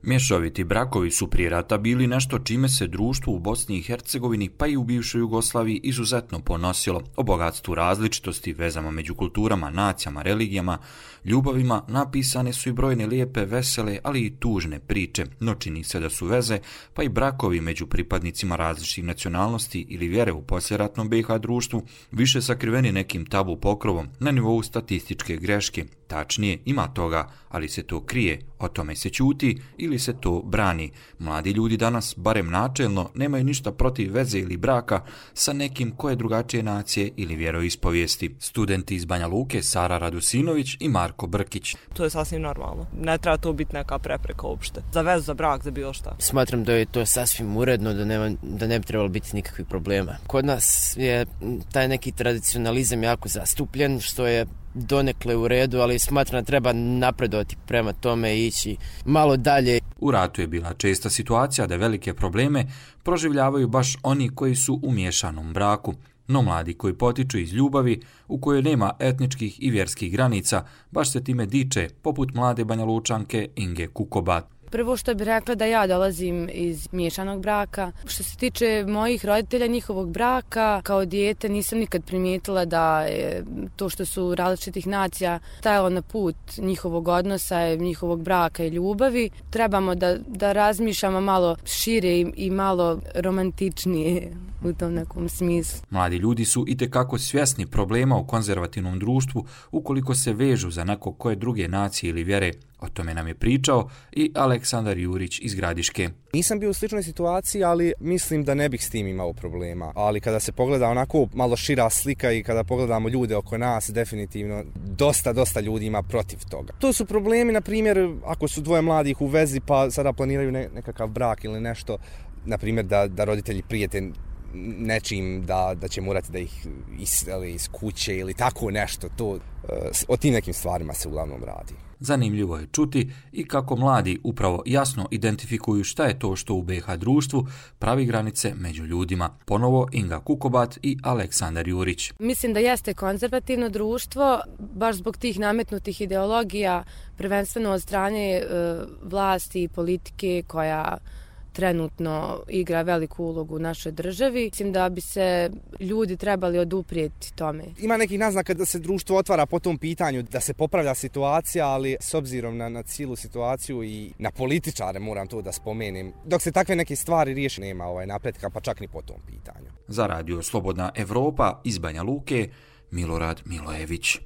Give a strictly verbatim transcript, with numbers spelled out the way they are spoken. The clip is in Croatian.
Mješoviti brakovi su prije rata bili nešto čime se društvo u Bosni i Hercegovini pa i u bivšoj Jugoslaviji izuzetno ponosilo. O bogatstvu različitosti, vezama među kulturama, nacijama, religijama, ljubavima napisane su i brojne lijepe, vesele, ali i tužne priče, no čini se da su veze pa i brakovi među pripadnicima različitih nacionalnosti ili vjere u poslijeratnom B i H društvu više sakriveni nekim tabu pokrovom na nivou statističke greške. Tačnije, ima toga, ali se to krije, o tome se ćuti ili se to brani. Mladi ljudi danas, barem načelno, nemaju ništa protiv veze ili braka sa nekim koje drugačije nacije ili vjeroispovijesti. Studenti iz Banja Luke, Sara Radusinović i Marko Brkić. To je sasvim normalno. Ne treba to biti neka prepreka uopšte. Za vezu, za brak, za bilo šta. Smatram da je to sasvim uredno, da, nema, da ne bi trebalo biti nikakvih problema. Kod nas je taj neki tradicionalizam jako zastupljen, što je donekle u redu, ali smatram da treba napredovati prema tome i ići malo dalje. U ratu je bila česta situacija da velike probleme proživljavaju baš oni koji su u miješanom braku. No mladi koji potiču iz ljubavi, u kojoj nema etničkih i vjerskih granica, baš se time diče, poput mlade Banja Lučanke Inge Kukobat. Prvo što bih rekla da ja dolazim iz miješanog braka. Što se tiče mojih roditelja, njihovog braka, kao dijete nisam nikad primijetila da je to što su različitih nacija stajalo na put njihovog odnosa, njihovog braka i ljubavi. Trebamo da, da razmišljamo malo šire i, i malo romantičnije u tom nekom smislu. Mladi ljudi su itekako svjesni problema u konzervativnom društvu ukoliko se vežu za neko koje druge nacije ili vjere. O tome nam je pričao i Aleksandar Jurić iz Gradiške. Nisam bio u sličnoj situaciji, ali mislim da ne bih s tim imao problema. Ali kada se pogleda onako malo šira slika i kada pogledamo ljude oko nas, definitivno dosta, dosta ljudi ima protiv toga. To su problemi, na primjer, ako su dvoje mladih u vezi pa sada planiraju ne, nekakav brak ili nešto, na primjer da, da roditelji prijete nečim da, da će morati da ih iseli iz kuće ili tako nešto. To, o tim nekim stvarima se uglavnom radi. Zanimljivo je čuti i kako mladi upravo jasno identifikuju šta je to što u B i H društvu pravi granice među ljudima. Ponovo Inga Kukobat i Aleksandar Jurić. Mislim da jeste konzervativno društvo, baš zbog tih nametnutih ideologija, prvenstveno od strane e, vlasti i politike koja trenutno igra veliku ulogu u našoj državi. Mislim da bi se ljudi trebali oduprijeti tome. Ima nekih naznaka da se društvo otvara po tom pitanju, da se popravlja situacija, ali s obzirom na, na cijelu situaciju i na političare, moram to da spomenem, dok se takve neke stvari riješi, nema ovaj napretka, pa čak ni po tom pitanju. Za radio Slobodna Evropa iz Banja Luke, Milorad Milojević.